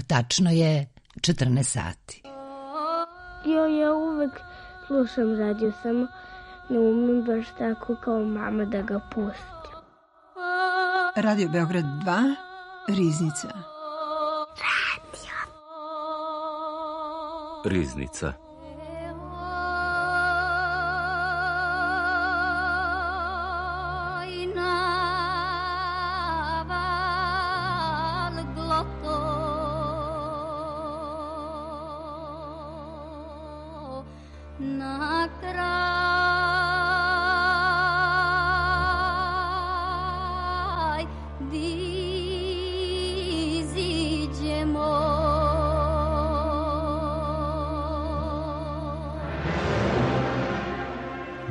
tačno je 14 sati. Ja uvek slušam radio, samo ne umem baš tako kao mama da ga pustim. Radio Beograd 2, Riznica. Riznica.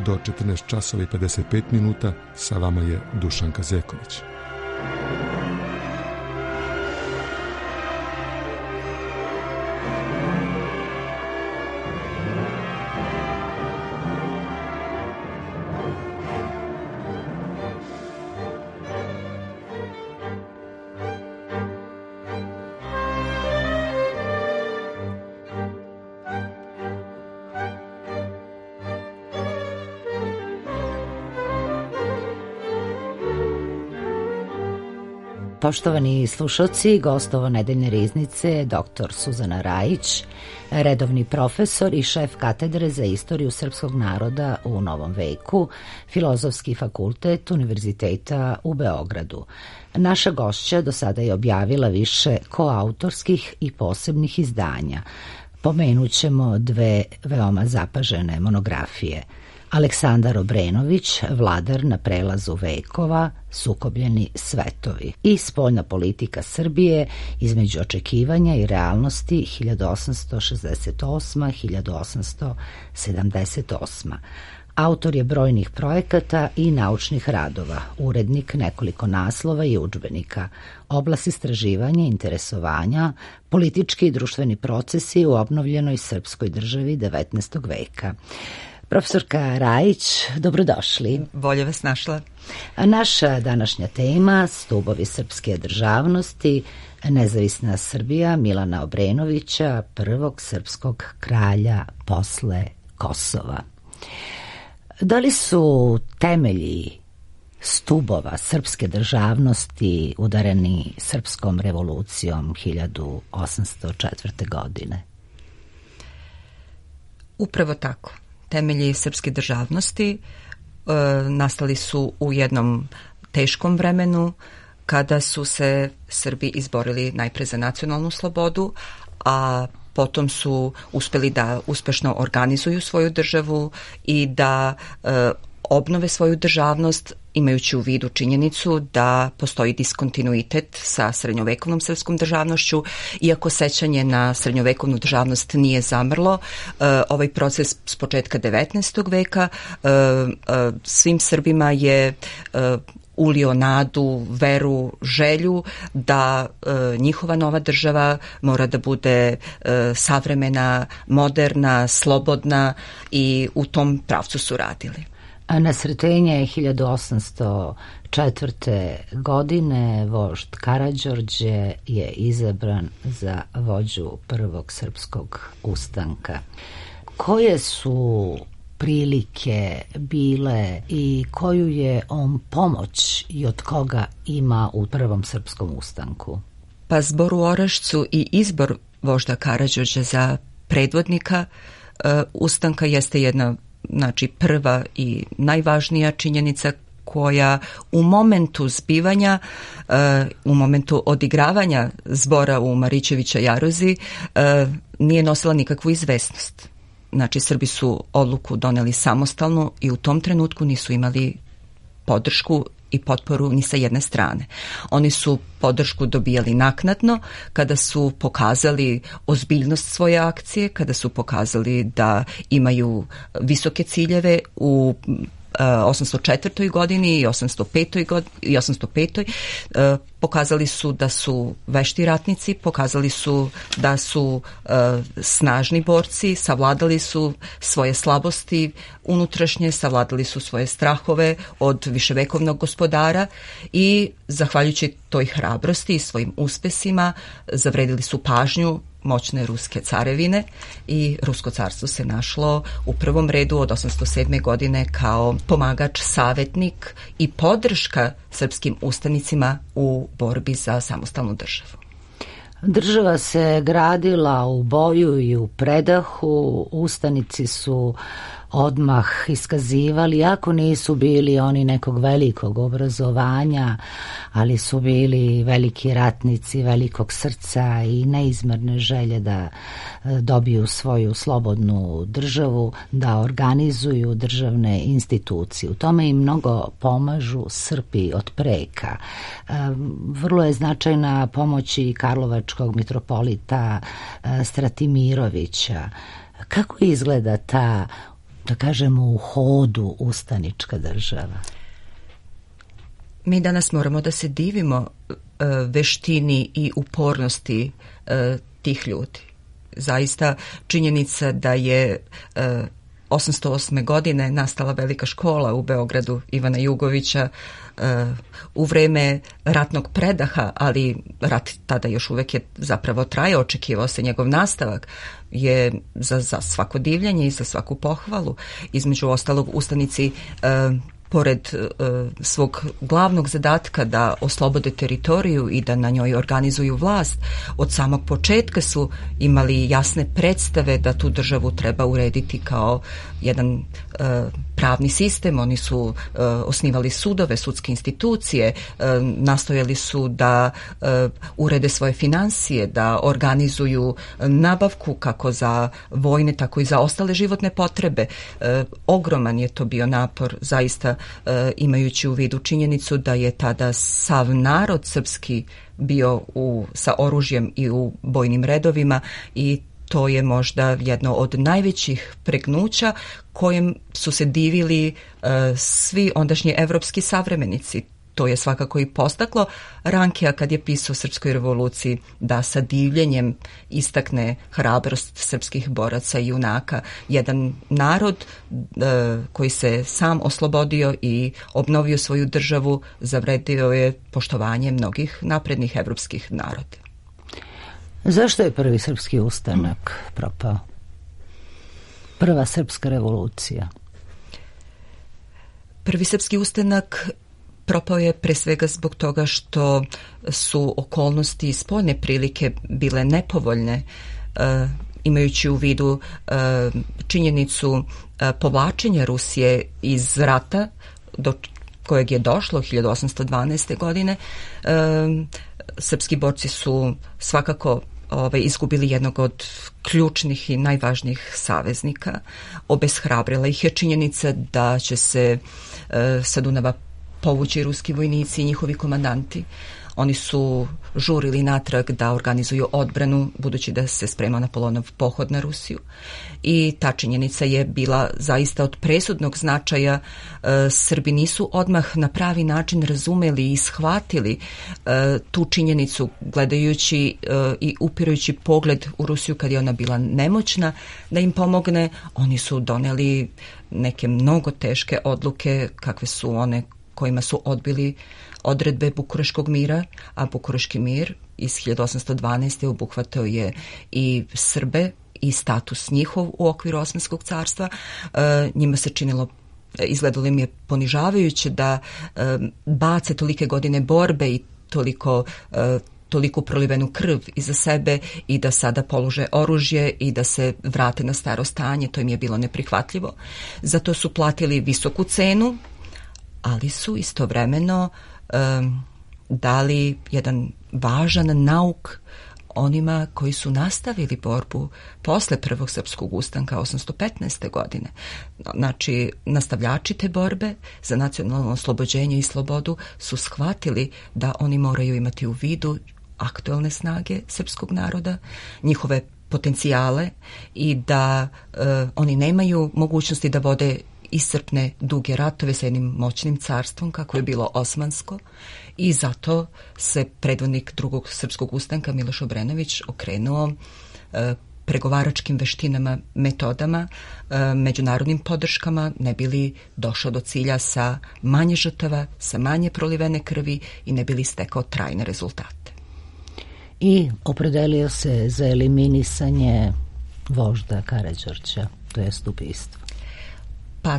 Do 14 časova i 55 minuta sa vama je Dušanka Zeković. Poštovani slušalci, gost ovo nedeljne riznice dr. Suzana Rajić, redovni profesor i šef katedre za istoriju srpskog naroda u Novom veku, Filozofski fakultet Univerziteta u Beogradu. Naša gošća do sada je objavila više koautorskih i posebnih izdanja. Pomenut ćemo dve veoma zapažene monografije. Aleksandar Obrenović, Vladar na prelazu vekova, Sukobljeni svetovi i Spoljna politika Srbije između očekivanja i realnosti 1868-1878. Autor je brojnih projekata i naučnih radova, urednik nekoliko naslova i udžbenika, oblast istraživanja i interesovanja, politički i društveni procesi u obnovljenoj srpskoj državi 19. veka. Profesorka Rajić, dobrodošli. Bolje vas našla. Naša današnja tema, stubovi srpske državnosti, nezavisna Srbija Milana Obrenovića, prvog srpskog kralja posle Kosova. Da li su temelji stubova srpske državnosti udareni srpskom revolucijom 1804. godine? Upravo tako. Temelji srpske državnosti nastali su u jednom teškom vremenu kada su se Srbi izborili najpre za nacionalnu slobodu, a potom su uspeli da uspešno organizuju svoju državu i da obnove svoju državnost, imajući u vidu činjenicu da postoji diskontinuitet sa srednjovekovnom srpskom državnošću. Iako sećanje na srednjovekovnu državnost nije zamrlo, ovaj proces s početka 19. veka svim Srbima je ulio nadu, veru, želju da njihova nova država mora da bude savremena, moderna, slobodna i u tom pravcu su radili. Na sretenje 1804. godine vožd Karađorđe je izabran za vođu prvog srpskog ustanka. Koje su prilike bile i koju je on pomoć i od koga ima u prvom srpskom ustanku? Pa zbor u Orašcu i izbor vožda Karađorđa za predvodnika ustanka jeste jedna, znači, prva i najvažnija činjenica koja u momentu zbivanja, u momentu odigravanja zbora u Marićevića Jaruzi nije nosila nikakvu izvesnost. Znači, Srbi su odluku doneli samostalno i u tom trenutku nisu imali podršku i potporu ni sa jedne strane. Oni su podršku dobijali naknadno kada su pokazali ozbiljnost svoje akcije, kada su pokazali da imaju visoke ciljeve u 804. godini i 805. Pokazali su da su vešti ratnici, pokazali su da su snažni borci, savladali su svoje slabosti unutrašnje, savladali su svoje strahove od viševekovnog gospodara i zahvaljujući toj hrabrosti i svojim uspesima zavredili su pažnju moćne ruske carevine i Rusko carstvo se našlo u prvom redu od 807. godine kao pomagač, savjetnik i podrška srpskim ustanicima u borbi za samostalnu državu. Država se gradila u boju i u predahu, ustanici su odmah iskazivali, iako nisu bili oni nekog velikog obrazovanja, ali su bili veliki ratnici, velikog srca i neizmerne želje da dobiju svoju slobodnu državu, da organizuju državne institucije. U tome im mnogo pomažu Srbi od preka. Vrlo je značajna pomoć i karlovačkog mitropolita Stratimirovića. Kako izgleda ta, da kažemo, u hodu ustanička država? Mi danas moramo da se divimo veštini i upornosti tih ljudi. Zaista činjenica da je 808. godine nastala velika škola u Beogradu Ivana Jugovića u vreme ratnog predaha, ali rat tada još uvek je zapravo trajao, očekivao se njegov nastavak, je za svako divljenje i za svaku pohvalu. Između ostalog, ustanici pored svog glavnog zadatka da oslobode teritoriju i da na njoj organizuju vlast, od samog početka su imali jasne predstave da tu državu treba urediti kao jedan pravni sistem. Oni su osnivali sudove, sudske institucije, nastojali su da urede svoje finansije, da organizuju nabavku kako za vojne, tako i za ostale životne potrebe. Ogroman je to bio napor, zaista, imajući u vidu činjenicu da je tada sav narod srpski bio sa oružjem i u bojnim redovima, i to je možda jedno od najvećih pregnuća kojem su se divili svi ondašnji evropski savremenici. To je svakako i postaklo Rankija kad je pisao o srpskoj revoluciji da sa divljenjem istakne hrabrost srpskih boraca i junaka. Jedan narod koji se sam oslobodio i obnovio svoju državu zavredio je poštovanje mnogih naprednih evropskih naroda. Zašto je prvi srpski ustanak propao? Prva srpska revolucija. Prvi srpski ustanak propao je pre svega zbog toga što su okolnosti i spoljne prilike bile nepovoljne, imajući u vidu činjenicu povlačenja Rusije iz rata do kojeg je došlo 1812. godine. Srpski borci su svakako izgubili jednog od ključnih i najvažnijih saveznika. Obeshrabrila ih je činjenica da će se sa Dunava povući ruski vojnici i njihovi komandanti. Oni su žurili natrag da organizuju odbranu, budući da se sprema Napoleonov pohod na Rusiju. I ta činjenica je bila zaista od presudnog značaja. Srbi nisu odmah na pravi način razumeli i shvatili tu činjenicu, gledajući i upirajući pogled u Rusiju kad je ona bila nemoćna da im pomogne. Oni su doneli neke mnogo teške odluke, kakve su one kojima su odbili odredbe Bukureškog mira, a Bukureški mir iz 1812. obuhvatao je i Srbe i status njihov u okviru Osmanskog carstva. Njima se činilo, izgledalo im je ponižavajuće da bace tolike godine borbe i toliko prolivenu krv iza sebe i da sada polože oružje i da se vrate na staro stanje. To im je bilo neprihvatljivo. Zato su platili visoku cenu, ali su istovremeno dali jedan važan nauk onima koji su nastavili borbu posle prvog srpskog ustanka 815. godine. Znači, nastavljači te borbe za nacionalno oslobođenje i slobodu su shvatili da oni moraju imati u vidu aktuelne snage srpskog naroda, njihove potencijale i da oni nemaju mogućnosti da vode iscrpne duge ratove sa jednim moćnim carstvom kako je bilo osmansko i zato se predvodnik drugog srpskog ustanka Miloš Obrenović okrenuo pregovaračkim veštinama, metodama, međunarodnim podrškama, ne bili došao do cilja sa manje žrtava, sa manje prolivene krvi i ne bili stekao trajne rezultate. I opredelio se za eliminisanje vožda Karađorđa, to jest ubistvo. Pa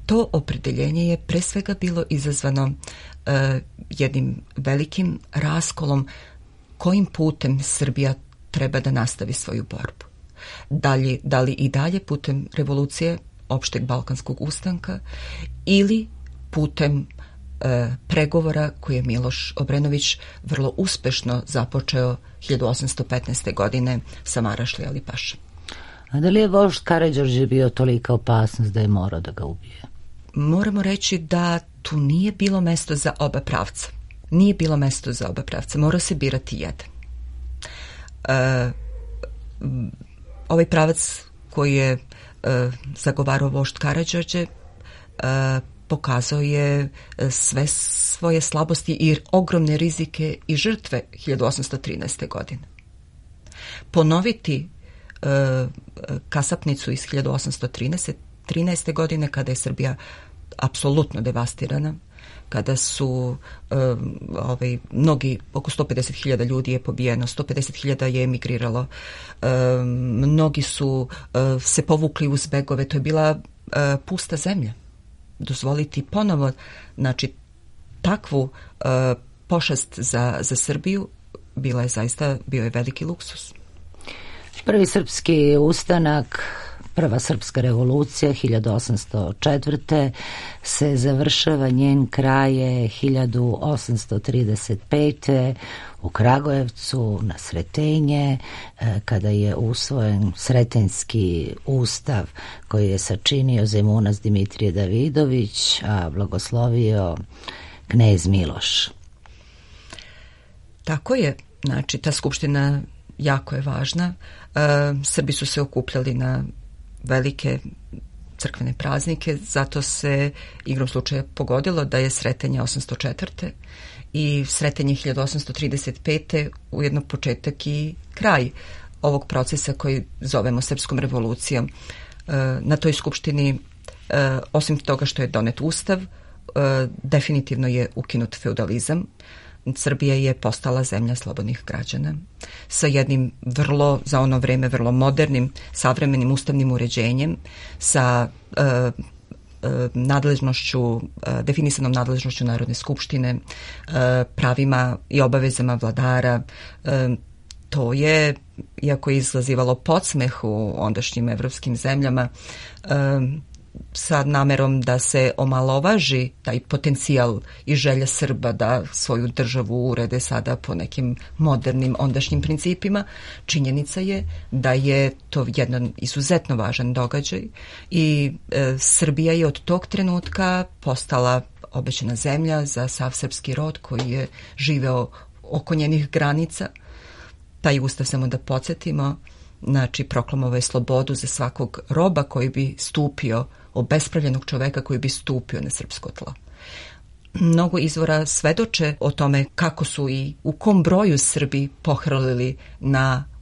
to opredeljenje je pre svega bilo izazvano jednim velikim raskolom kojim putem Srbija treba da nastavi svoju borbu. Da li i dalje putem revolucije opšteg balkanskog ustanka ili putem pregovora koje je Miloš Obrenović vrlo uspešno započeo 1815. godine sa Marašli Alipašom. A da li je vožd Karađorđe bio tolika opasnost da je morao da ga ubije? Moramo reći da tu nije bilo mesto za oba pravca. Nije bilo mesto za oba pravca. Mora se birati jedan. Ovaj pravac koji je zagovarao vožd Karađorđe pokazao je sve svoje slabosti i ogromne rizike i žrtve 1813. godine. Ponoviti kasapnicu iz 1813. godine kada je Srbija apsolutno devastirana, kada su mnogi, oko 150.000 ljudi je pobijeno, 150.000 je emigriralo, mnogi su se povukli uz begove, to je bila pusta zemlja. Dozvoliti ponovo, znači, takvu pošast za Srbiju bio je veliki luksus. Prvi srpski ustanak, prva srpska revolucija 1804. se završava, njen kraj je 1835. u Kragujevcu na Sretenje, kada je usvojen Sretenjski ustav koji je sačinio zemunac Dimitrije Davidović, a blagoslovio knez Miloš. Tako je, znači ta skupština jako je važna. Srbi su se okupljali na velike crkvene praznike, zato se igrom slučaja pogodilo da je Sretenje 804. i Sretenje 1835. ujedno početak i kraj ovog procesa koji zovemo Srpskom revolucijom. Na toj skupštini, osim toga što je donet ustav, definitivno je ukinut feudalizam. Srbija je postala zemlja slobodnih građana sa jednim za ono vreme vrlo modernim, savremenim ustavnim uređenjem, sa nadležnošću, definisanom nadležnošću Narodne skupštine, pravima i obavezama vladara. To je, iako je izazivalo podsmeh u ondašnjim evropskim zemljama, sa namerom da se omalovaži taj potencijal i želja Srba da svoju državu urede sada po nekim modernim ondašnjim principima, činjenica je da je to jedan izuzetno važan događaj i Srbija je od tog trenutka postala obećana zemlja za sav srpski rod koji je živeo oko njenih granica. Taj ustav, samo da podsjetimo, znači proklamovao je slobodu za svakog roba koji bi stupio, obespravljenog čoveka koji bi stupio na srpsko tlo. Mnogo izvora svedoče o tome kako su i u kom broju Srbi pohrlili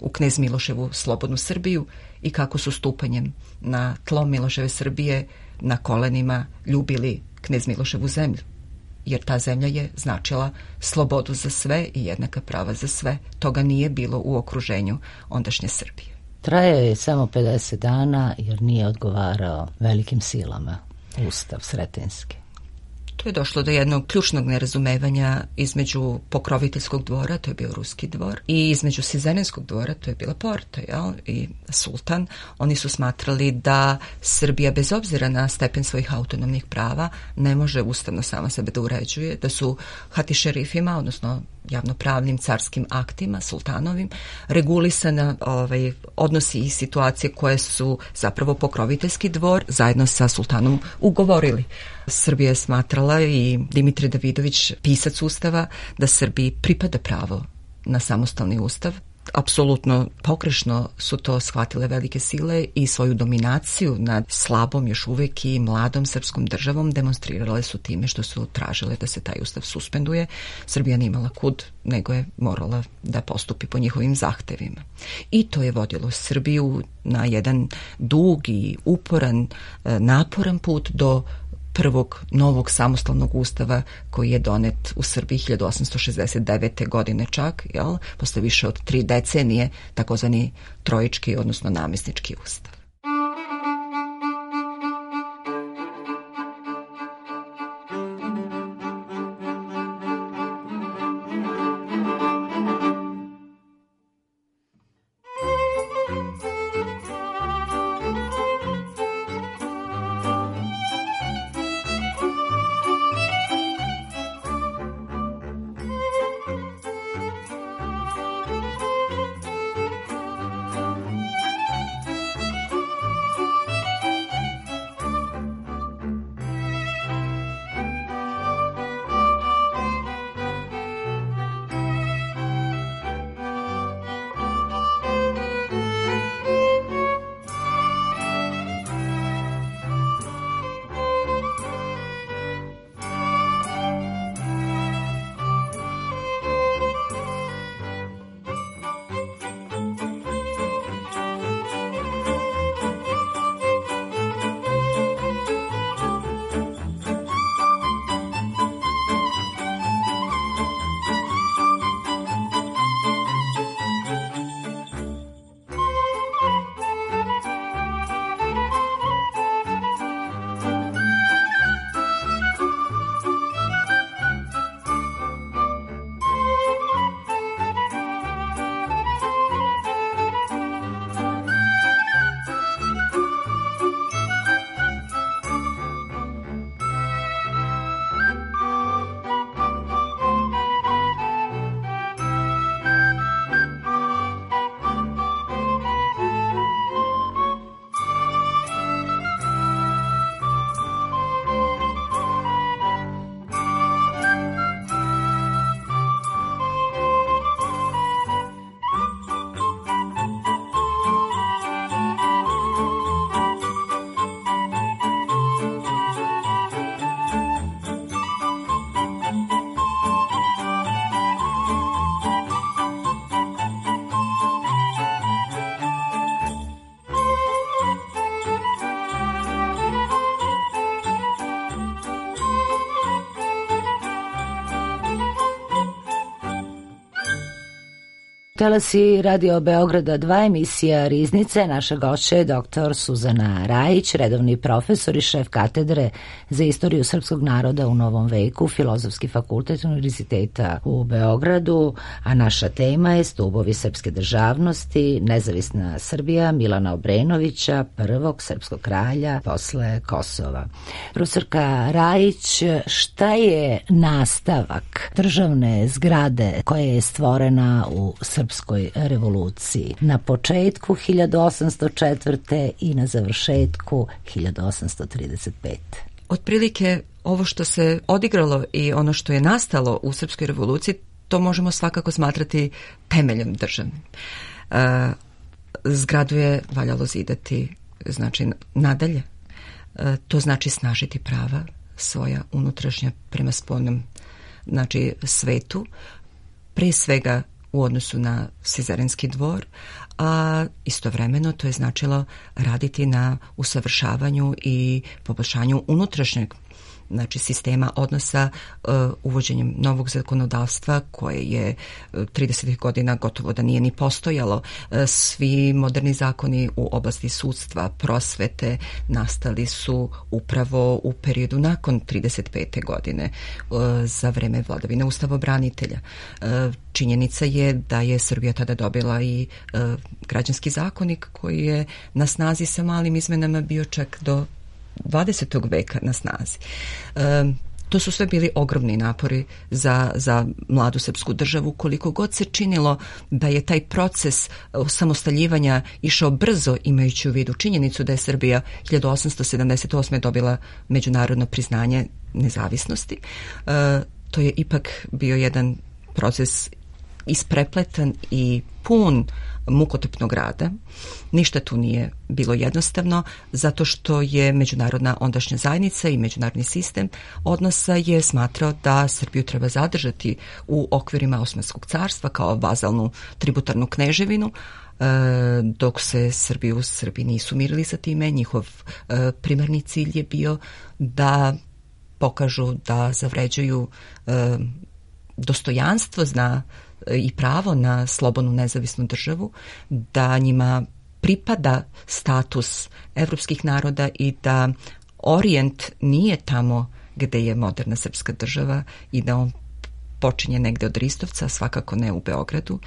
u knez Miloševu slobodnu Srbiju i kako su stupanjem na tlo Miloševe Srbije na kolenima ljubili knez Miloševu zemlju. Jer ta zemlja je značila slobodu za sve i jednaka prava za sve. Toga nije bilo u okruženju ondašnje Srbije. Trajao je samo 50 dana jer nije odgovarao velikim silama ustav Sretenjski. Tu je došlo do jednog ključnog nerazumevanja između pokroviteljskog dvora, to je bio ruski dvor, i između Sizenenskog dvora, to je bila Porta, i sultan. Oni su smatrali da Srbija, bez obzira na stepen svojih autonomnih prava, ne može ustavno sama sebe da uređuje, da su hatišerifima, odnosno javnopravnim carskim aktima, sultanovim, regulisana odnosi i situacije koje su zapravo pokroviteljski dvor zajedno sa sultanom ugovorili. Srbija je smatrala, i Dimitrije Davidović, pisac ustava, da Srbiji pripada pravo na samostalni ustav, apsolutno pogrešno su to shvatile velike sile i svoju dominaciju nad slabom, još uvijek i mladom srpskom državom demonstrirale su time što su tražile da se taj ustav suspenduje. Srbija nije imala kud, nego je morala da postupi po njihovim zahtevima. I to je vodilo Srbiju na jedan dug i uporan, naporan put do prvog novog samostalnog ustava koji je donet u Srbiji 1869. godine čak, posle više od 3 decenije, takozvani trojički, odnosno namesnički ustav. Talasi Radio Beograda 2, emisija Riznice. Naša gošća je dr. Suzana Rajić, redovni profesor i šef katedre za istoriju srpskog naroda u Novom veku, Filozofski fakultet Univerziteta u Beogradu, a naša tema je stubovi srpske državnosti, nezavisna Srbija Milana Obrenovića, prvog srpskog kralja posle Kosova. Profesorka Rajić, šta je nastavak državne zgrade koja je stvorena u Srpskoj revoluciji na početku 1804. i na završetku 1835. Otprilike ovo što se odigralo i ono što je nastalo u Srpskoj revoluciji, to možemo svakako smatrati temeljem državnim. Zgradu je valjalo zidati, znači nadalje. To znači snažiti prava svoja unutrašnja prema spoljnom, znači svetu, pre svega u odnosu na Sizarenski dvor, a istovremeno to je značilo raditi na usavršavanju i poboljšanju unutrašnjeg, znači sistema odnosa, uvođenjem novog zakonodavstva koje je 30. godina gotovo da nije ni postojalo. Svi moderni zakoni u oblasti sudstva, prosvete nastali su upravo u periodu nakon 35. godine za vreme vladavine ustavobranitelja. Činjenica je da je Srbija tada dobila i građanski zakonik koji je na snazi sa malim izmenama bio čak do 20. veka na snazi. To su sve bili ogromni napori za mladu srpsku državu, koliko god se činilo da je taj proces osamostaljivanja išao brzo, imajući u vidu činjenicu da je Srbija 1878. dobila međunarodno priznanje nezavisnosti. To je ipak bio jedan proces isprepletan i pun mukotrpnog rada. Ništa tu nije bilo jednostavno, zato što je međunarodna ondašnja zajednica i međunarodni sistem odnosa je smatrao da Srbiju treba zadržati u okvirima Osmanskog carstva kao vazalnu tributarnu kneževinu, dok se Srbi u Srbiji nisu mirili sa time. Njihov primarni cilj je bio da pokažu da zavređuju dostojanstvo i pravo na slobodnu nezavisnu državu, da njima pripada status evropskih naroda i da Orijent nije tamo gde je moderna srpska država i da on počinje negde od Ristovca, svakako ne u Beogradu.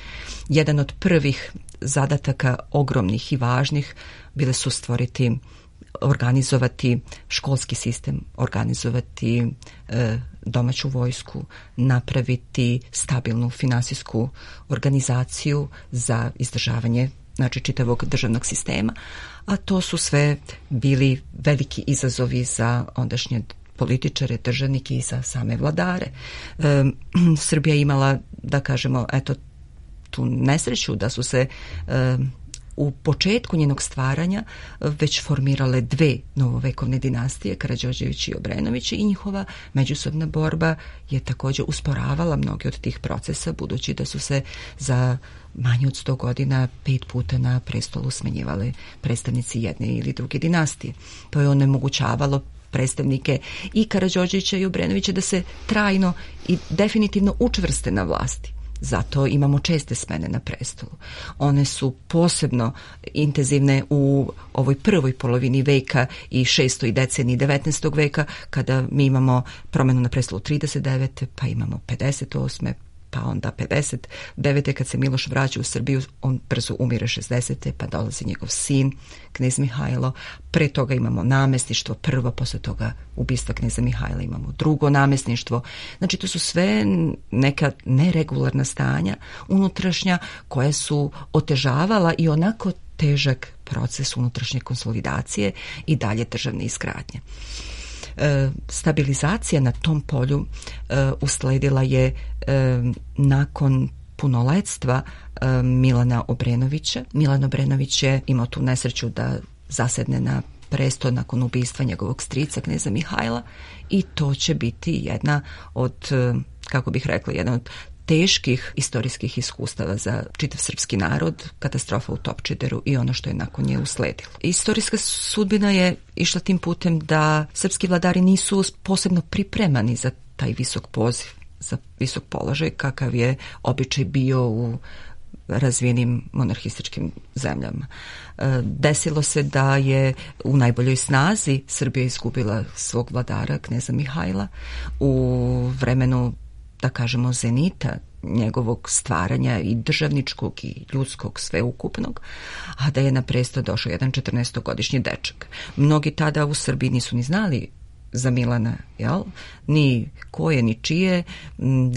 Jedan od prvih zadataka ogromnih i važnih bile su organizovati školski sistem, organizovati domaću vojsku, napraviti stabilnu finansijsku organizaciju za izdržavanje čitavog državnog sistema, a to su sve bili veliki izazovi za ondašnje političare, državnike i za same vladare. Srbija imala, da kažemo, tu nesreću da su se u početku njenog stvaranja već formirale dve novovekovne dinastije, Karađorđević i Obrenović, i njihova međusobna borba je također usporavala mnoge od tih procesa, budući da su se za manje od 100 godina 5 puta na prestolu smenjivali predstavnici jedne ili druge dinastije. To je onemogućavalo predstavnike i Karađorđevića i Obrenovića da se trajno i definitivno učvrste na vlasti. Zato imamo česte smene na prestolu. One su posebno intenzivne u ovoj prvoj polovini veka i 6. deceniji 19. veka, kada mi imamo promjenu na prestolu 39. pa imamo 58. pa onda 59. kad se Miloš vraća u Srbiju, on brzo umire 60. pa dolazi njegov sin, knez Mihajlo. Pre toga imamo namestništvo prvo, posle toga ubistva kneza Mihajla imamo drugo namestništvo. Znači, to su sve neka neregularna stanja unutrašnja koja su otežavala i onako težak proces unutrašnje konsolidacije i dalje državne izgradnje. Stabilizacija na tom polju usledila je nakon punoletstva Milana Obrenovića. Milan Obrenović je imao tu nesreću da zasedne na presto nakon ubistva njegovog strica kneza Mihajla i to će biti jedna od, kako bih rekla, jedna od teških istorijskih iskustava za čitav srpski narod, katastrofa u Topčideru i ono što je nakon nje usledilo. Istorijska sudbina je išla tim putem da srpski vladari nisu posebno pripremani za taj visok poziv, za visok položaj kakav je običaj bio u razvijenim monarhističkim zemljama. Desilo se da je u najboljoj snazi Srbija izgubila svog vladara, kneza Mihajla, u vremenu, da kažemo, zenita njegovog stvaranja i državničkog i ljudskog sveukupnog, a da je na presto došao jedan 14-godišnji dečak. Mnogi tada u Srbiji nisu ni znali za Milana, ni koje, ni čije.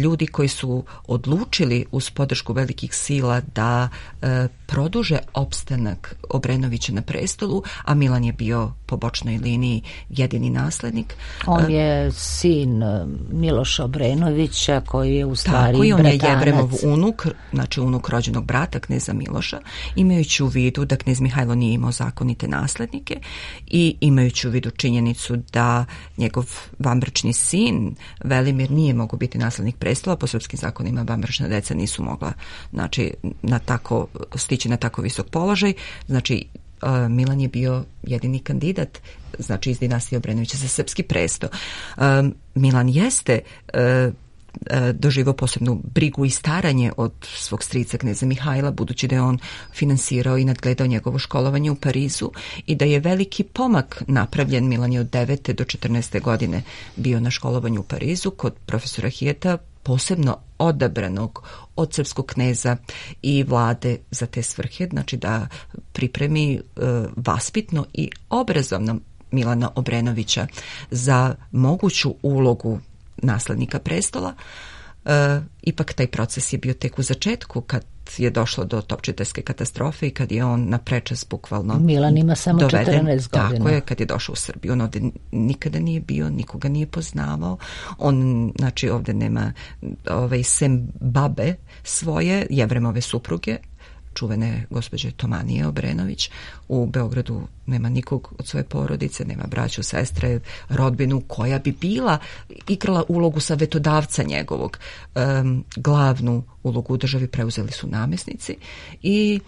Ljudi koji su odlučili uz podršku velikih sila da produže opstanak Obrenovića na prestolu, a Milan je bio po bočnoj liniji jedini naslednik. On je sin Miloša Obrenovića koji je u stvari on bratanac. Je Jevremov unuk, znači unuk rođenog brata kneza Miloša, imajući u vidu da knez Mihajlo nije imao zakonite naslednike i imajući u vidu činjenicu da njegov vanbračni sin Velimir nije mogao biti naslednik prestola, po srpskim zakonima vanbračna deca nisu mogla, znači, stići na tako visok položaj. Znači, Milan je bio jedini kandidat, znači, iz dinastije Obrenovića za srpski presto. Milan jeste doživao posebnu brigu i staranje od svog strica kneza Mihajla, budući da je on finansirao i nadgledao njegovo školovanje u Parizu i da je veliki pomak napravljen. Milan je od 9. do 14. godine bio na školovanju u Parizu kod profesora Hijeta, posebno odabranog od srpskog kneza i vlade za te svrhe, znači da pripremi vaspitno i obrazovno Milana Obrenovića za moguću ulogu naslednika prestola. ipak taj proces je bio tek u začetku kad je došlo do topčiderske katastrofe i kad je on na prečac bukvalno Milan ima samo doveden, 14 godina. Tako je, kad je došao u Srbiju. On ovdje nikada nije bio, nikoga nije poznavao. On, znači, ovdje nema sem babe svoje, Jevremove supruge, čuvene gospođe Tomanije Obrenović. U Beogradu nema nikog od svoje porodice, nema braću, sestre, rodbinu koja bi igrala ulogu savjetodavca njegovog. Glavnu ulogu u državi preuzeli su namjesnici i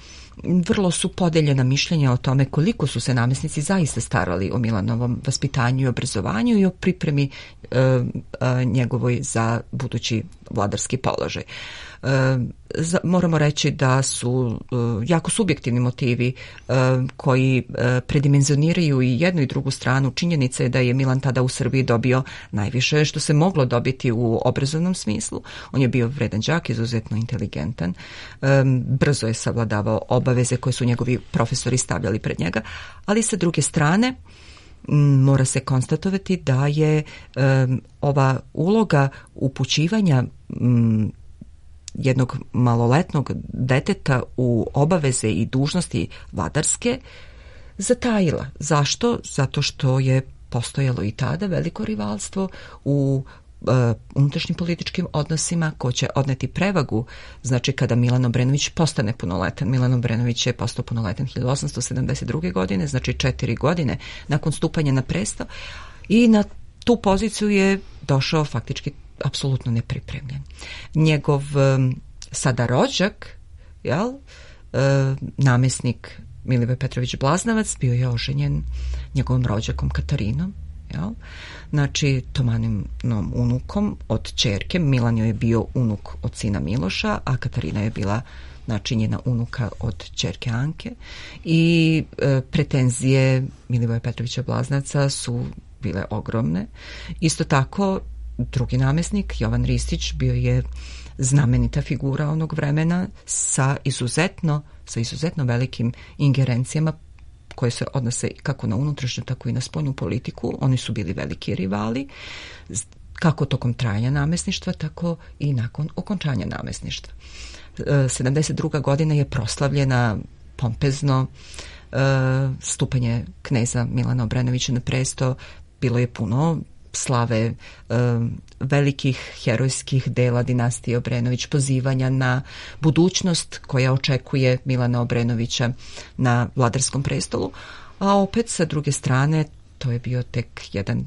vrlo su podeljena mišljenja o tome koliko su se namjesnici zaista starali o Milanovom vaspitanju i obrazovanju i o pripremi njegovoj za budući vladarski položaj. Moramo reći da su jako subjektivni motivi koji predimenzioniraju i jednu i drugu stranu. Činjenica je da je Milan tada u Srbiji dobio najviše što se moglo dobiti u obrazovnom smislu. On je bio vredan đak, izuzetno inteligentan, brzo je savladavao obaveze koje su njegovi profesori stavljali pred njega, ali sa druge strane mora se konstatovati da je ova uloga upućivanja jednog maloletnog deteta u obaveze i dužnosti vladarske zatajila. Zašto? Zato što je postojalo i tada veliko rivalstvo u unutrašnjim političkim odnosima ko će odneti prevagu. Znači, kada Milan Obrenović postane punoletan, Milan Obrenović je postao punoletan 1872. godine, znači 4 godine nakon stupanja na presto, i na tu poziciju je došao faktički apsolutno nepripremljen. Njegov sada rođak, namjesnik Milivoj Petrović Blaznavac, bio je oženjen njegovom rođakom Katarinom, znači Tomaninom unukom od ćerke. Milan joj je bio unuk od sina Miloša, a Katarina je bila znači njena unuka od ćerke Anke, i pretenzije Milivoja Petrovića Blaznavca su bile ogromne. Isto tako drugi namjesnik, Jovan Ristić, bio je znamenita figura onog vremena sa izuzetno velikim ingerencijama koje se odnose kako na unutrašnju, tako i na spoljnu politiku. Oni su bili veliki rivali, kako tokom trajanja namjesništva, tako i nakon okončanja namjesništva. 72. godina je proslavljena pompezno, stupanje kneza Milana Obrenovića na presto. Bilo je puno slave, velikih herojskih dela dinastije Obrenović, pozivanja na budućnost koja očekuje Milana Obrenovića na vladarskom prestolu, a opet sa druge strane to je bio tek jedan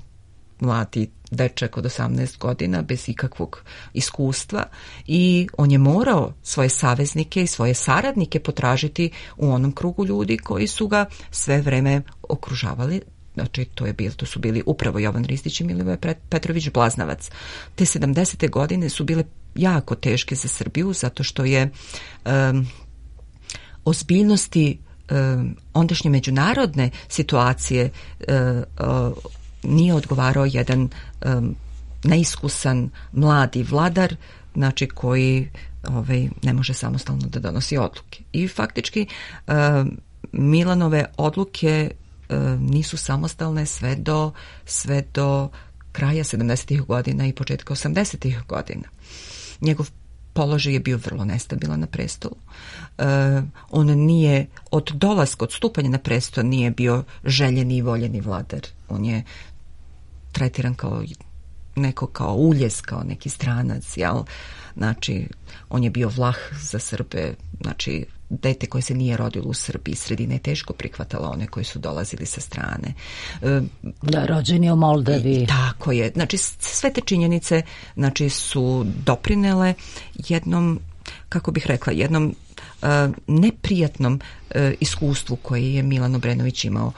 mladi dečak od 18 godina bez ikakvog iskustva i on je morao svoje saveznike i svoje saradnike potražiti u onom krugu ljudi koji su ga sve vreme okružavali. Znači, to su bili upravo Jovan Ristić i Milivoj Petrović Blaznavac. Te 70. godine su bile jako teške za Srbiju, zato što je ozbiljnosti ondašnje međunarodne situacije nije odgovarao jedan neiskusan mladi vladar, znači koji ne može samostalno da donosi odluke. I faktički Milanove odluke nisu samostalne sve do kraja 70. godina i početka 80. godina. Njegov položaj je bio vrlo nestabilan na prestolu. On nije od dolaska, od stupanja na presto nije bio željeni i voljeni vladar. On je tretiran kao uljez, kao neki stranac, jel? Znači, on je bio vlah za Srbe, znači dete koje se nije rodilo u Srbiji, sredina je teško prihvatala one koji su dolazili sa strane. Da, rođen je u Moldavi. Tako je. Znači, sve te činjenice su doprinele jednom, kako bih rekla, jednom neprijatnom iskustvu koje je Milan Obrenović imao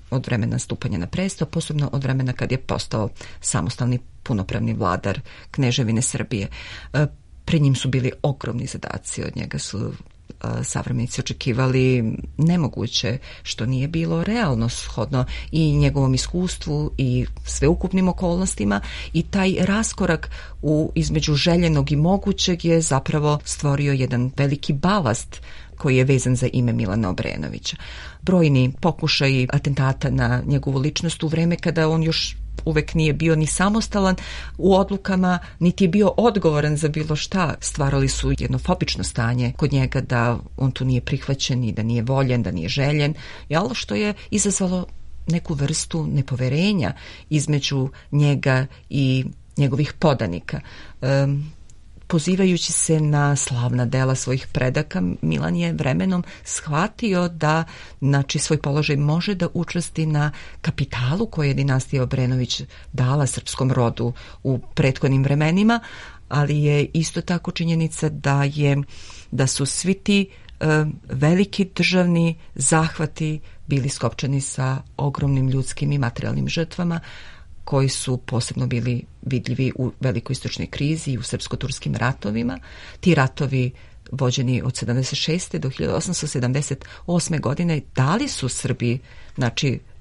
od vremena stupanja na presto, posebno od vremena kad je postao samostalni punopravni vladar Kneževine Srbije. Pred njim su bili ogromni zadaci, od njega su savremenici očekivali nemoguće, što nije bilo realno shodno i njegovom iskustvu i sveukupnim okolnostima, i taj raskorak između željenog i mogućeg je zapravo stvorio jedan veliki balast koji je vezan za ime Milana Obrenovića. Brojni pokušaji atentata na njegovu ličnost u vreme kada on još uvek nije bio ni samostalan u odlukama, niti je bio odgovoran za bilo šta. Stvarali su jedno fobično stanje kod njega da on tu nije prihvaćen i da nije voljen, da nije željen, što je izazvalo neku vrstu nepoverenja između njega i njegovih podanika. Pozivajući se na slavna dela svojih predaka, Milan je vremenom shvatio da svoj položaj može da učvrsti na kapitalu koje je dinastija Obrenović dala srpskom rodu u prethodnim vremenima, ali je isto tako činjenica da su svi ti veliki državni zahvati bili skopčani sa ogromnim ljudskim i materijalnim žrtvama, koji su posebno bili vidljivi u velikoj istočnoj krizi i u srpsko-turskim ratovima. Ti ratovi vođeni od 76. do 1878. godine dali su Srbiji,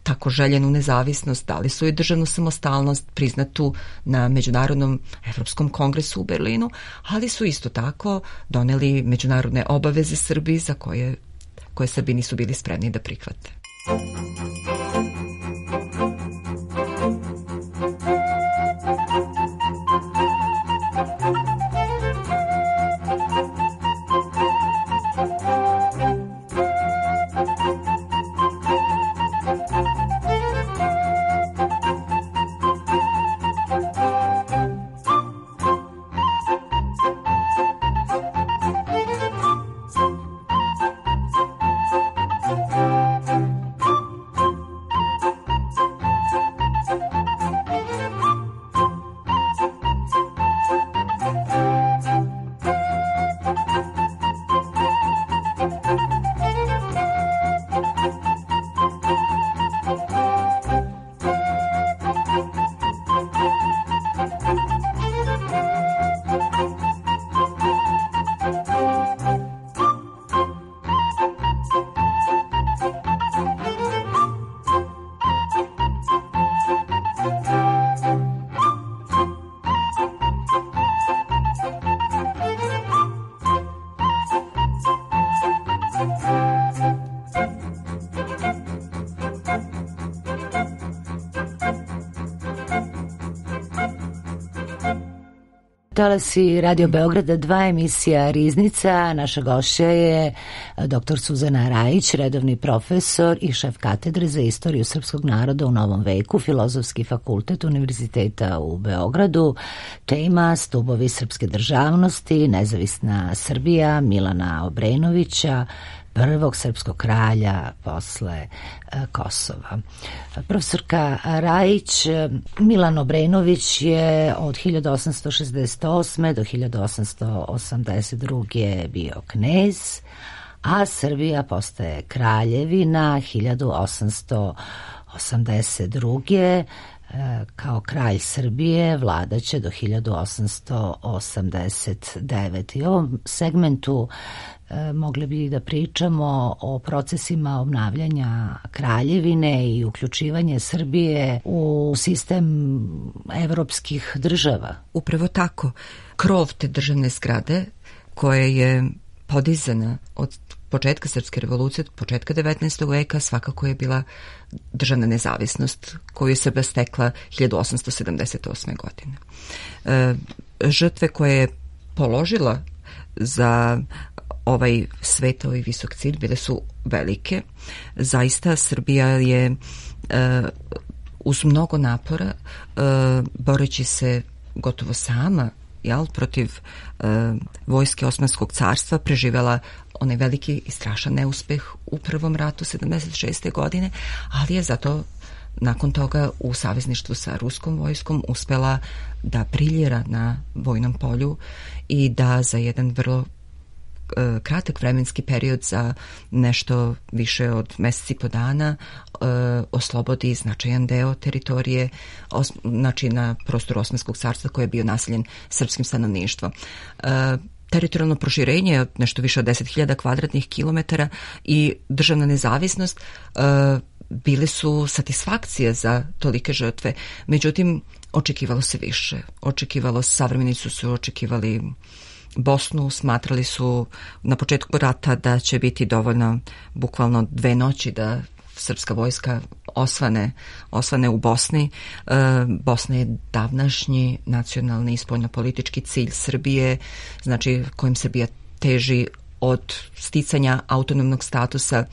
tako željenu nezavisnost, dali su i državnu samostalnost priznatu na Međunarodnom Evropskom kongresu u Berlinu, ali su isto tako doneli međunarodne obaveze Srbiji za koje Srbi nisu bili spremni da prihvate. Talasi Radio Beograda 2, emisija Riznica. Naša gošća je dr. Suzana Rajić, redovni profesor i šef katedre za istoriju srpskog naroda u Novom veku, Filozofski fakultet Univerziteta u Beogradu. Tema stubovi srpske državnosti, nezavisna Srbija Milana Obrenovića, prvog srpskog kralja posle Kosova. Profesorka Rajić, Milan Obrenović je od 1868. do 1882. bio knez, a Srbija postaje kraljevina 1882. Kao kralj Srbije vladaće do 1889. I u ovom segmentu mogli bi da pričamo o procesima obnavljanja kraljevine i uključivanje Srbije u sistem evropskih država. Upravo tako. Krov te državne zgrade koja je podizana od početka Srpske revolucije, od početka 19. veka, svakako je bila državna nezavisnost koju je Srbija stekla 1878. godine. Žrtve koje je položila za ovaj svet, ovaj visok cilj, bile su velike. Zaista Srbija je uz mnogo napora, boreći se gotovo sama protiv vojske Osmanskog carstva, preživjela onaj veliki i strašan neuspeh u prvom ratu 76. godine, ali je zato nakon toga u savezništvu sa ruskom vojskom uspela da briljira na vojnom polju i da za jedan vrlo kratak vremenski period, za nešto više od meseci po dana, oslobodi značajan deo teritorije, na prostoru Osmanskog carstva koji je bio naseljen srpskim stanovništvom. Teritorijalno proširenje od nešto više od 10.000 kvadratnih kilometara i državna nezavisnost bile su satisfakcije za tolike žrtve. Međutim, očekivalo se više. Savremenici su očekivali Bosnu, smatrali su na početku rata da će biti dovoljno bukvalno 2 noći da srpska vojska osvane u Bosni. Bosna je davnašnji nacionalni i spoljnopolitički cilj Srbije, znači kojim Srbija teži od sticanja autonomnog statusa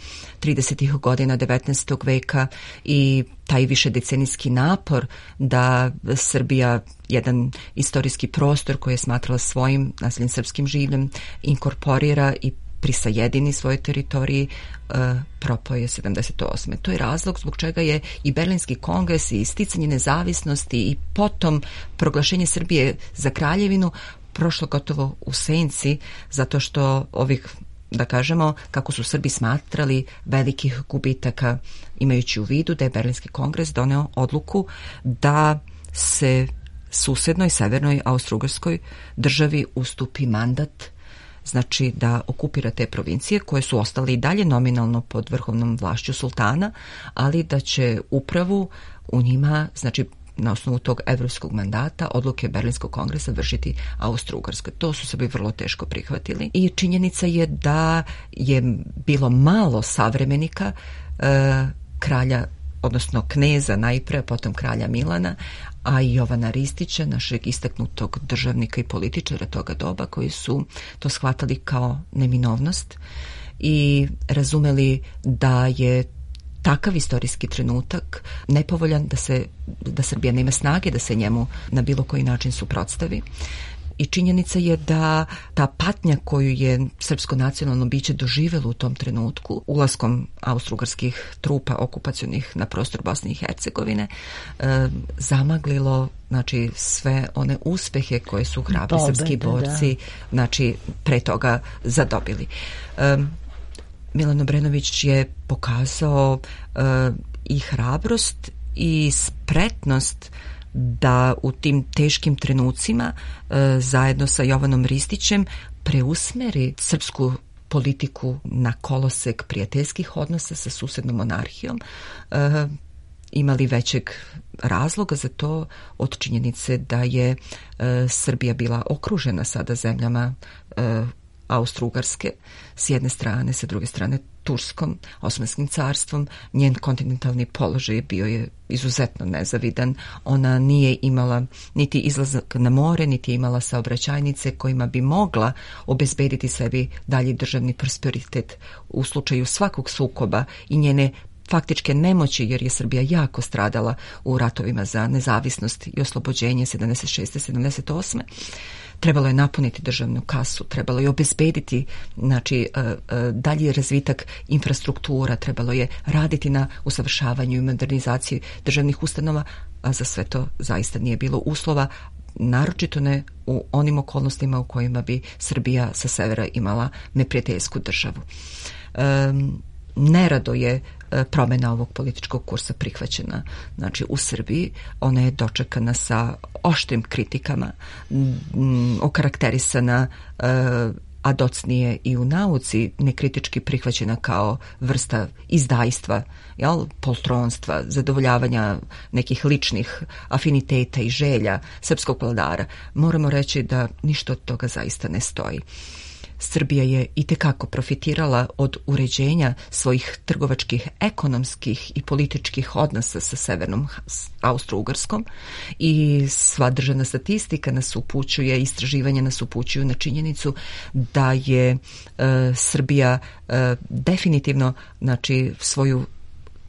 30. godina 19. veka i taj višedecenijski napor da Srbija jedan istorijski prostor koji je smatrala svojim nasljednim srpskim življem inkorporira i prisajedini svoje teritoriji, propao je 78. To je razlog zbog čega je i Berlinski kongres i sticanje nezavisnosti i potom proglašenje Srbije za kraljevinu prošlo gotovo u senci, zato što ovih, da kažemo, kako su Srbi smatrali, velikih gubitaka, imajući u vidu da je Berlinski kongres doneo odluku da se susednoj severnoj Austro-Ugarskoj državi ustupi mandat, znači da okupira te provincije koje su ostale i dalje nominalno pod vrhovnom vlašću sultana, ali da će upravu u njima, znači na osnovu tog evropskog mandata, odluke Berlinskog kongresa vršiti Austro-Ugarska. To su Srbi vrlo teško prihvatili i činjenica je da je bilo malo savremenika kralja, odnosno kneza najpre, potom kralja Milana, a i Jovana Ristića, našeg istaknutog državnika i političara toga doba, koji su to shvatali kao neminovnost i razumeli da je takav istorijski trenutak nepovoljan, da Srbija nema snage da se njemu na bilo koji način suprotstavi. I činjenica je da ta patnja koju je srpsko nacionalno biće doživjelo u tom trenutku, ulaskom austro-ugarskih trupa okupacionih na prostor Bosne i Hercegovine, zamaglilo, znači, sve one uspehe koje su hrabri srpski borci, znači, pre toga zadobili. Milan Obrenović je pokazao i hrabrost i spretnost da u tim teškim trenucima zajedno sa Jovanom Ristićem preusmeri srpsku politiku na kolosek prijateljskih odnosa sa susednom monarhijom. Imali većeg razloga za to od činjenice da je Srbija bila okružena sada zemljama Austro-Ugarske s jedne strane, sa druge strane Turskom, Osmanskim carstvom. Njen kontinentalni položaj bio je izuzetno nezavidan. Ona nije imala niti izlazak na more, niti je imala saobraćajnice kojima bi mogla obezbediti sebi dalji državni prosperitet u slučaju svakog sukoba i njene faktičke nemoći, jer je Srbija jako stradala u ratovima za nezavisnost i oslobođenje 76. 78. Trebalo je napuniti državnu kasu, trebalo je obezbediti, znači, dalji razvitak infrastruktura, trebalo je raditi na usavršavanju i modernizaciji državnih ustanova, a za sve to zaista nije bilo uslova, naročito ne u onim okolnostima u kojima bi Srbija sa severa imala neprijateljsku državu. Nerado je promjena ovog političkog kursa prihvaćena. Znači, u Srbiji ona je dočekana sa oštrim kritikama, okarakterisana a docnije i u nauci nekritički prihvaćena kao vrsta izdajstva, poltronstva, zadovoljavanja nekih ličnih afiniteta i želja srpskog vladara. Moramo reći da ništa od toga zaista ne stoji. Srbija je itekako profitirala od uređenja svojih trgovačkih, ekonomskih i političkih odnosa sa severnom Austro-Ugarskom i sva državna statistika nas upućuje, istraživanja nas upućuju na činjenicu da je Srbija definitivno, znači, svoju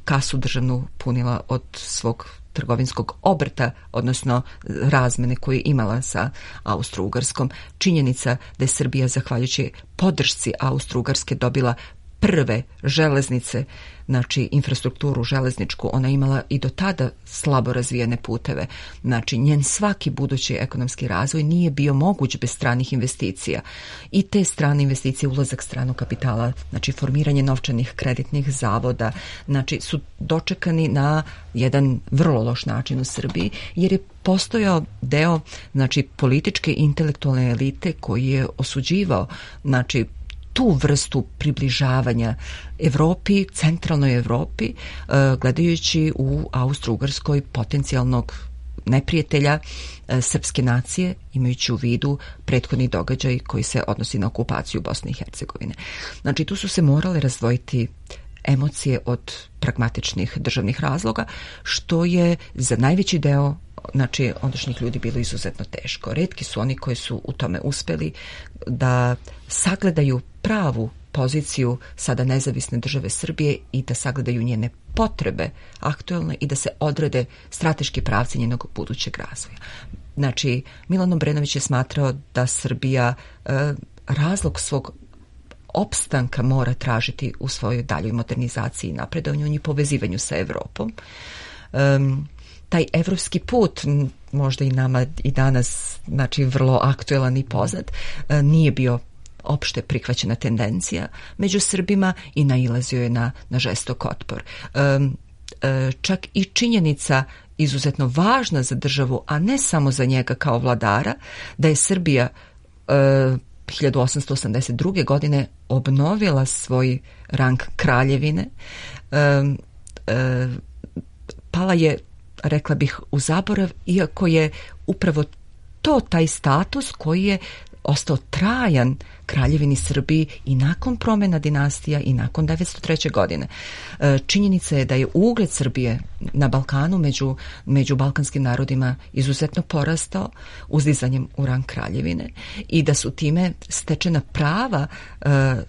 kasu državnu punila od svog trgovinskog obrta, odnosno razmene koje je imala sa Austro-Ugarskom. Činjenica da je Srbija, zahvaljujući podršci Austro-Ugarske, dobila prve železnice, znači infrastrukturu železničku, ona imala i do tada slabo razvijene puteve. Znači, njen svaki budući ekonomski razvoj nije bio moguć bez stranih investicija. I te strane investicije, ulazak stranog kapitala, znači formiranje novčanih kreditnih zavoda, znači su dočekani na jedan vrlo loš način u Srbiji, jer je postojao deo, znači, političke i intelektualne elite koji je osuđivao, znači, tu vrstu približavanja Evropi, centralnoj Evropi, gledajući u Austro-Ugarskoj potencijalnog neprijatelja srpske nacije, imajući u vidu prethodni događaj koji se odnosi na okupaciju Bosne i Hercegovine. Znači, tu su se morale razdvojiti emocije od pragmatičnih državnih razloga, što je za najveći deo ondašnjih ljudi bilo izuzetno teško. Retki su oni koji su u tome uspeli da sagledaju pravu poziciju sada nezavisne države Srbije i da sagledaju njene potrebe aktuelne i da se odrede strateški pravci njenog budućeg razvoja. Milan Obrenović je smatrao da Srbija razlog svog opstanka mora tražiti u svojoj daljoj modernizaciji i napredovanju i povezivanju sa Evropom. Taj evropski put, možda i nama i danas, vrlo aktuelan i poznat, nije bio opšte prihvaćena tendencija među Srbima i nailazio je na žestok otpor. Čak i činjenica izuzetno važna za državu, a ne samo za njega kao vladara, da je Srbija 1882. godine obnovila svoj rang kraljevine, pala je, rekla bih, u zaborav, iako je upravo to taj status koji je ostao trajan kraljevini Srbiji i nakon promjena dinastija i nakon 1903. godine. Činjenica je da je ugled Srbije na Balkanu među balkanskim narodima izuzetno porastao uzdizanjem u rang kraljevine i da su time stečena prava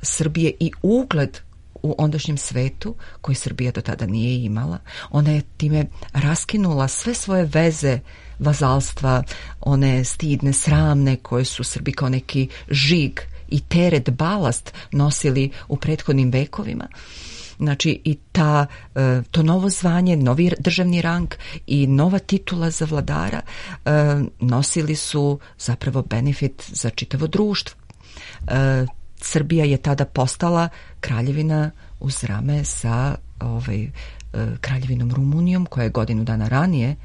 Srbije i ugled u ondašnjem svetu koji Srbija do tada nije imala. Ona je time raskinula sve svoje veze vazalstva, one stidne, sramne koje su Srbi kao neki žig i teret, balast nosili u prethodnim vekovima. I to novo zvanje, novi državni rang i nova titula za vladara nosili su zapravo benefit za čitavo društvo. Srbija je tada postala kraljevina uz rame sa kraljevinom Rumunijom, koja je godinu dana ranije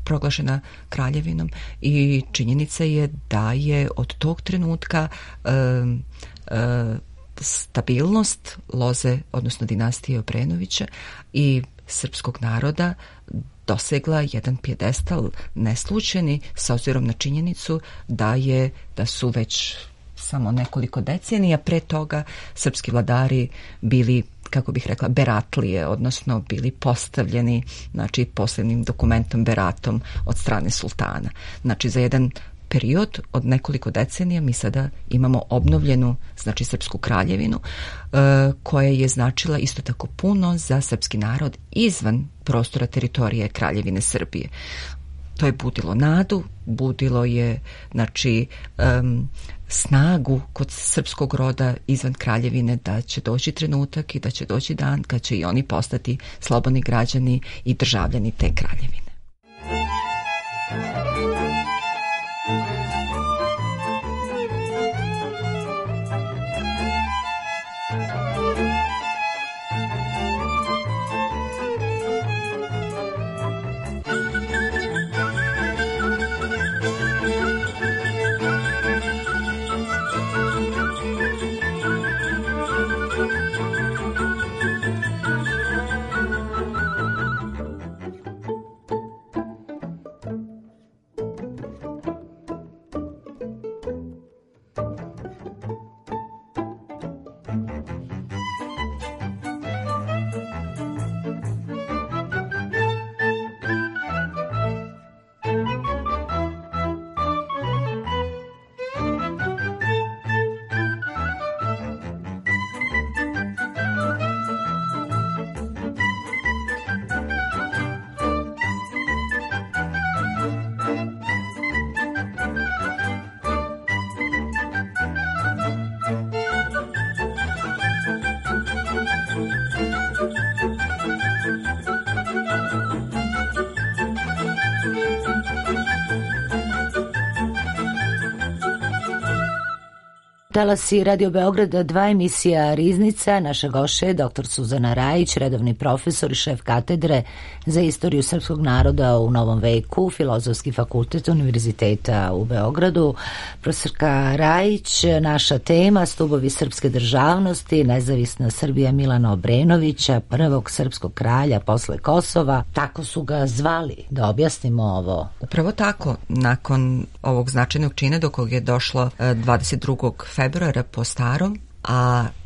proglašena kraljevinom, i činjenica je da je od tog trenutka stabilnost loze, odnosno dinastije Obrenovića i srpskog naroda dosegla jedan pijedestal neslučajni, s obzirom na činjenicu da su već samo nekoliko decenija pre toga srpski vladari bili, kako bih rekla, beratlije, odnosno bili postavljeni posebnim dokumentom, beratom od strane sultana. Za jedan period od nekoliko decenija mi sada imamo obnovljenu srpsku kraljevinu, koja je značila isto tako puno za srpski narod izvan prostora teritorije Kraljevine Srbije. To je budilo nadu, budilo je snagu kod srpskog roda izvan kraljevine da će doći trenutak i da će doći dan kad će i oni postati slobodni građani i državljani te kraljevine. Talasi Radio Beograda 2, emisija Riznica. Naša gošća je dr. Suzana Rajić, redovni profesor i šef katedre za istoriju srpskog naroda u Novom veku, Filozofski fakultet Univerziteta u Beogradu. Profesorka Rajić, naša tema: stubovi srpske državnosti, nezavisna Srbija Milana Obrenovića, prvog srpskog kralja posle Kosova. Tako su ga zvali, da objasnimo ovo. Upravo tako. Nakon ovog značajnog čina do kog je došlo 22. februara po starom,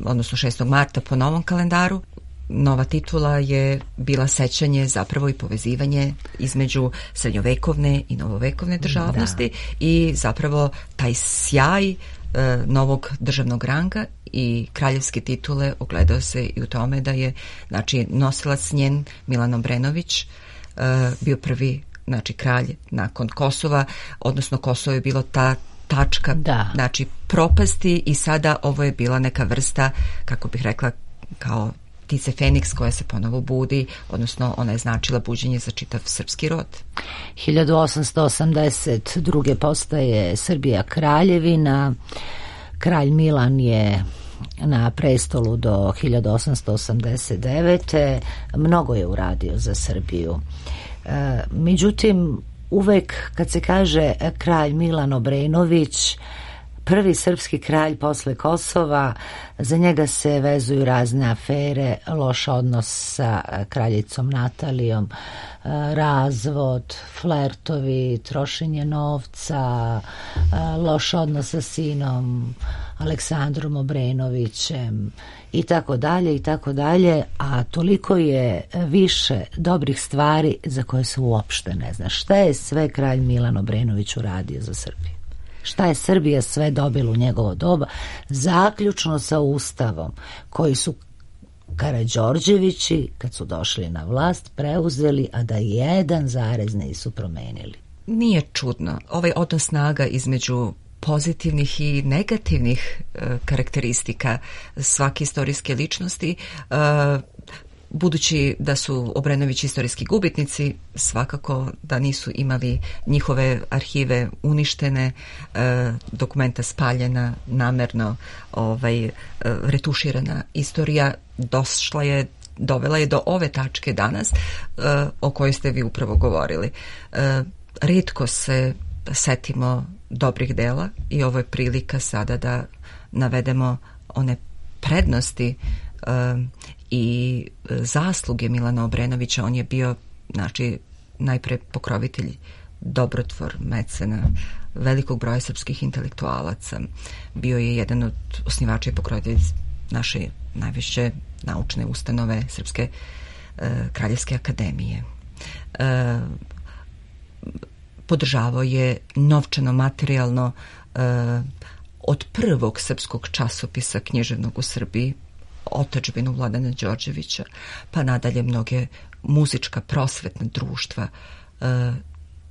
odnosno 6. marta po novom kalendaru, nova titula je bila sećanje zapravo i povezivanje između srednjovekovne i novovekovne državnosti i zapravo taj sjaj novog državnog ranga i kraljevske titule ogledao se i u tome da je, znači, nosilac njen Milan Obrenović bio prvi, znači, kralj nakon Kosova, odnosno Kosovo je bilo ta tačka, znači, propasti i sada ovo je bila neka vrsta, kako bih rekla, kao ptice Feniks koja se ponovo budi, odnosno ona je značila buđenje za čitav srpski rod. 1882. postaje Srbija kraljevina. Kralj Milan je na prestolu do 1889. Mnogo je uradio za Srbiju. Međutim, uvek kad se kaže kralj Milan Obrenović, prvi srpski kralj posle Kosova, za njega se vezuju razne afere, loš odnos sa kraljicom Natalijom, razvod, flertovi, trošenje novca, loš odnos sa sinom Aleksandrom Obrenovićem i tako dalje i tako dalje, a toliko je više dobrih stvari za koje se uopšte ne zna. Šta je sve kralj Milan Obrenović uradio za Srbiju? Šta je Srbija sve dobila u njegovo doba, zaključno sa Ustavom, koji su Karađorđevići, kad su došli na vlast, preuzeli, a da jedan zarez nisu promenili. Nije čudno. Ovaj odnos snaga između pozitivnih i negativnih karakteristika svake istorijske ličnosti, budući da su Obrenović istorijski gubitnici, svakako da nisu imali njihove arhive uništene, dokumenta spaljena, namerno retuširana istorija dovela je do ove tačke danas o kojoj ste vi upravo govorili. Rijetko se setimo dobrih dela i ovo je prilika sada da navedemo one prednosti i zasluge Milana Obrenovića. On je bio, znači, najpre pokrovitelj, dobrotvor, mecena velikog broja srpskih intelektualaca. Bio je jedan od osnivača i pokrovitelja naše najviše naučne ustanove Srpske kraljevske akademije. Podržavao je novčano, materijalno od prvog srpskog časopisa književnog u Srbiji, Otadžbinu Vladana Đorđevića, pa nadalje mnoge muzička prosvetna društva.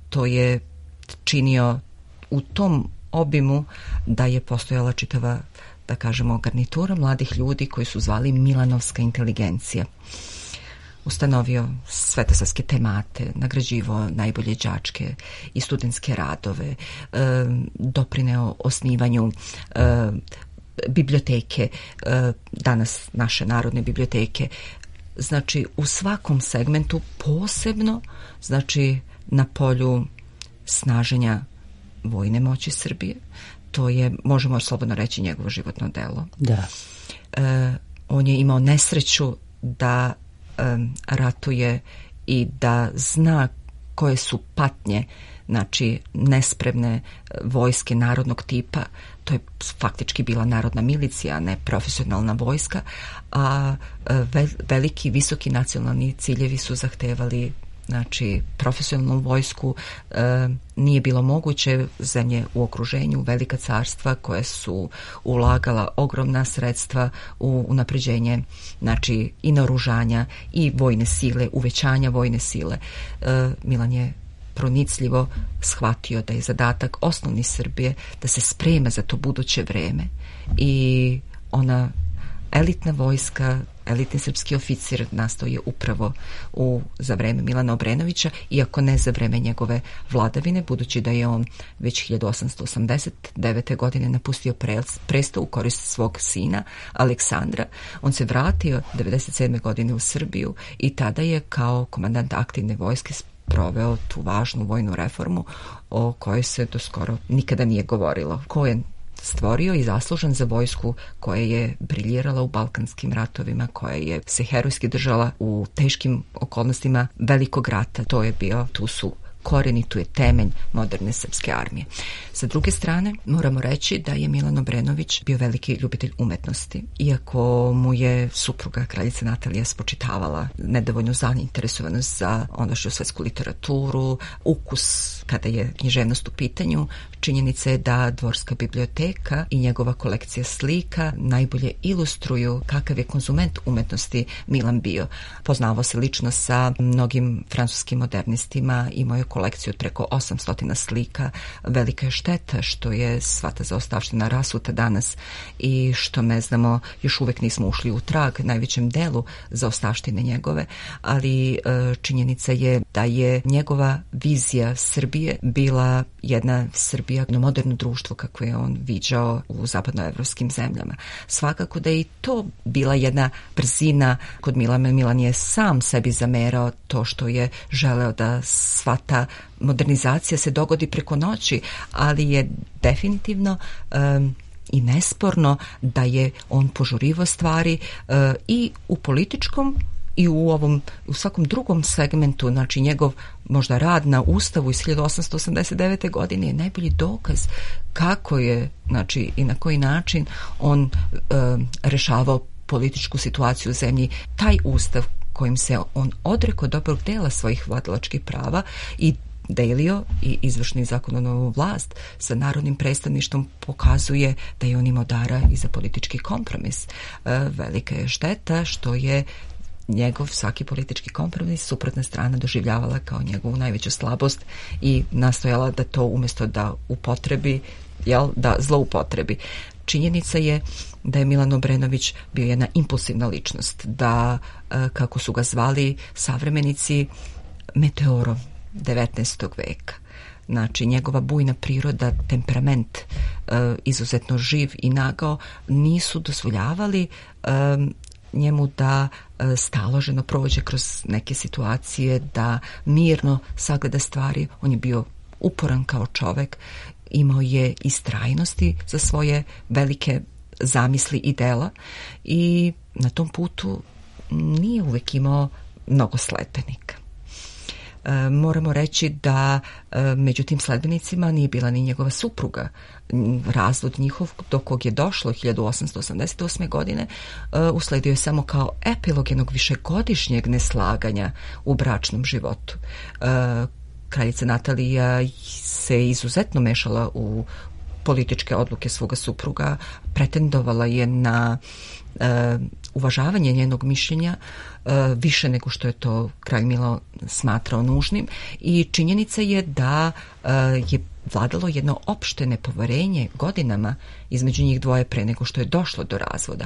To je činio u tom obimu da je postojala čitava, da kažemo, garnitura mladih ljudi koji su zvali Milanovska inteligencija. Ustanovio svetosavske temate, nagrađivao najbolje đačke i studentske radove, doprineo osnivanju biblioteke, danas naše narodne biblioteke. Znači, u svakom segmentu, posebno, znači, na polju snaženja vojne moći Srbije. To je, možemo slobodno reći, njegovo životno delo. Da. On je imao nesreću da ratuje i da zna koje su patnje, znači, nespremne vojske narodnog tipa. To je faktički bila narodna milicija, a ne profesionalna vojska, a veliki, visoki nacionalni ciljevi su zahtevali, znači, profesionalnu vojsku. Nije bilo moguće, zemlje u okruženju, velika carstva koje su ulagala ogromna sredstva u unapređenje, znači, i naoružanja i vojne sile, uvećanja vojne sile. Milan je pronicljivo shvatio da je zadatak osnovni Srbije da se sprema za to buduće vreme i ona elitna vojska, elitni srpski oficir nastao je upravo za vreme Milana Obrenovića, iako ne za vreme njegove vladavine, budući da je on već 1889. godine napustio presto u korist svog sina Aleksandra. On se vratio 97. godine u Srbiju i tada je kao komandant aktivne vojske proveo tu važnu vojnu reformu o kojoj se do skoro nikada nije govorilo. Ko je stvorio i zaslužan za vojsku koja je briljirala u balkanskim ratovima, koja je se herojski držala u teškim okolnostima velikog rata. To je bio, tu su koren i tu je temelj moderne srpske armije. Sa druge strane, moramo reći da je Milan Obrenović bio veliki ljubitelj umetnosti, iako mu je supruga kraljica Natalija spočitavala nedovoljnu zainteresovanost za ondašnju svetsku literaturu, ukus kada je književnost u pitanju. Činjenica je da Dvorska biblioteka i njegova kolekcija slika najbolje ilustruju kakav je konzument umetnosti Milan bio. Poznavao se lično sa mnogim francuskim modernistima, imao je kolekciju od preko 800 slika. Velika je šteta što je sva ta zaostavština rasuta danas i što ne znamo, još uvek nismo ušli u trag najvećem delu zaostavštine njegove, ali činjenica je da je njegova vizija Srbije bila jedna Srbija, jedno moderno društvo kako je on viđao u zapadnoevropskim zemljama. Svakako da je i to bila jedna brzina kod Milana. Milan je sam sebi zamerao to što je želeo da sva ta modernizacija se dogodi preko noći, ali je definitivno i nesporno da je on požurivao stvari i u političkom i u svakom drugom segmentu. Znači njegov možda rad na Ustavu iz 1889. godine je najbolji dokaz kako je, znači i na koji način on rešavao političku situaciju u zemlji. Taj Ustav kojim se on odrekao dobrog dela svojih vladalačkih prava i delio i izvršnu i zakonodavnu vlast sa narodnim predstavništvom pokazuje da je on imao dara i za politički kompromis. Velika je šteta što je njegov svaki politički kompromis suprotna strana doživljavala kao njegovu najveću slabost i nastojala da to umjesto da upotrebi, da zloupotrebi. Činjenica je da je Milan Obrenović bio jedna impulsivna ličnost, da, kako su ga zvali savremenici, meteorom 19. veka. Znači, njegova bujna priroda, temperament, izuzetno živ i nagao, nisu dozvoljavali njemu da staloženo prođe kroz neke situacije, da mirno sagleda stvari. On je bio uporan kao čovek, imao je istrajnosti za svoje velike zamisli i dela i na tom putu nije uvek imao mnogo sledbenika. Moramo reći da među tim sledbenicima nije bila ni njegova supruga. Razvod njihov do kog je došlo 1888. godine usledio je samo kao epilog jednog višegodišnjeg neslaganja u bračnom životu. Kraljica Natalija se izuzetno mešala u političke odluke svoga supruga, pretendovala je na uvažavanje njenog mišljenja više nego što je to kralj Milo smatrao nužnim i činjenica je da je vladalo jedno opšte nepoverenje godinama između njih dvoje pre nego što je došlo do razvoda.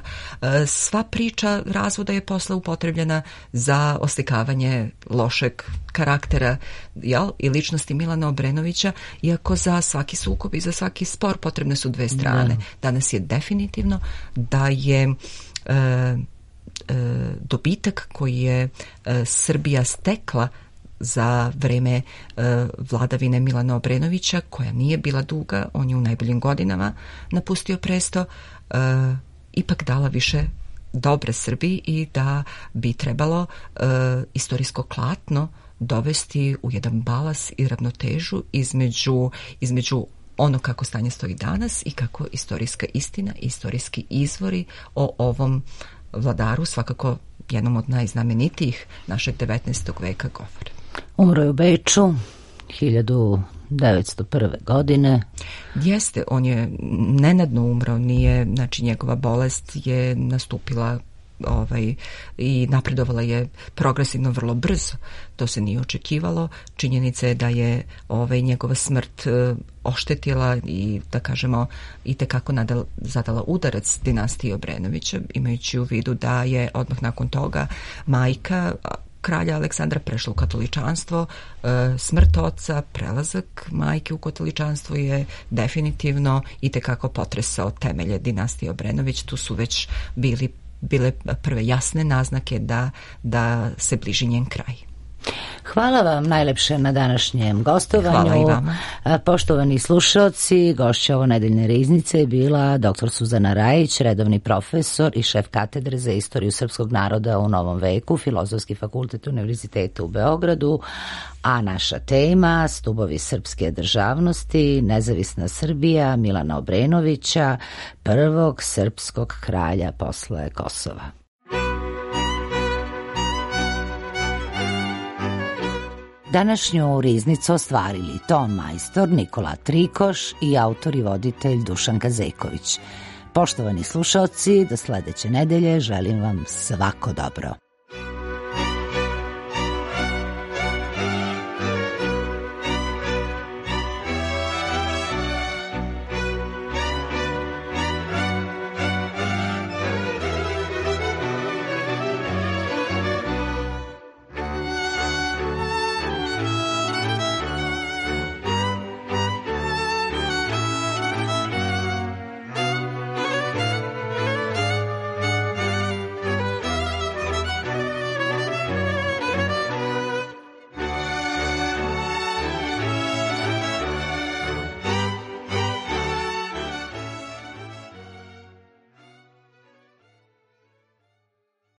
Sva priča razvoda je posle upotrebljena za oslikavanje lošeg karaktera i ličnosti Milana Obrenovića, iako za svaki sukob i za svaki spor potrebne su dve strane. Danas je definitivno da je dobitak koji je Srbija stekla za vreme vladavine Milana Obrenovića, koja nije bila duga, on je u najboljim godinama napustio presto, ipak dala više dobre Srbiji i da bi trebalo istorijsko klatno dovesti u jedan balans i ravnotežu između ono kako stanje stoji danas i kako istorijska istina i istorijski izvori o ovom vladaru, svakako jednom od najznamenitijih našeg 19. veka, govore. Umro je u Beču 1901. godine. Jeste, on je nenadno umro, nije, znači njegova bolest je nastupila i napredovala je progresivno vrlo brzo. To se nije očekivalo. Činjenica je da je njegova smrt oštetila i, da kažemo, i tekako zadala udarac dinastiji Obrenovića, imajući u vidu da je odmah nakon toga majka kralja Aleksandra prešla u katoličanstvo. Smrt oca, prelazak majke u katoličanstvo je definitivno i tekako potresao temelje dinastije Obrenović. Tu su već bile prve jasne naznake da se bliži njen kraj. Hvala vam najlepše na današnjem gostovanju. Hvala i vama. Poštovani slušaoci, gošća ovo nedeljne riznice je bila dr. Suzana Rajić, redovni profesor i šef katedre za istoriju srpskog naroda u Novom veku, Filozofski fakultet Univerziteta u Beogradu, a naša tema stubovi srpske državnosti, nezavisna Srbija Milana Obrenovića, prvog srpskog kralja posle Kosova. Današnju riznicu ostvarili ton majstor Nikola Trikoš i autor i voditelj Dušan Kazeković. Poštovani slušaoci, do sledeće nedelje želim vam svako dobro.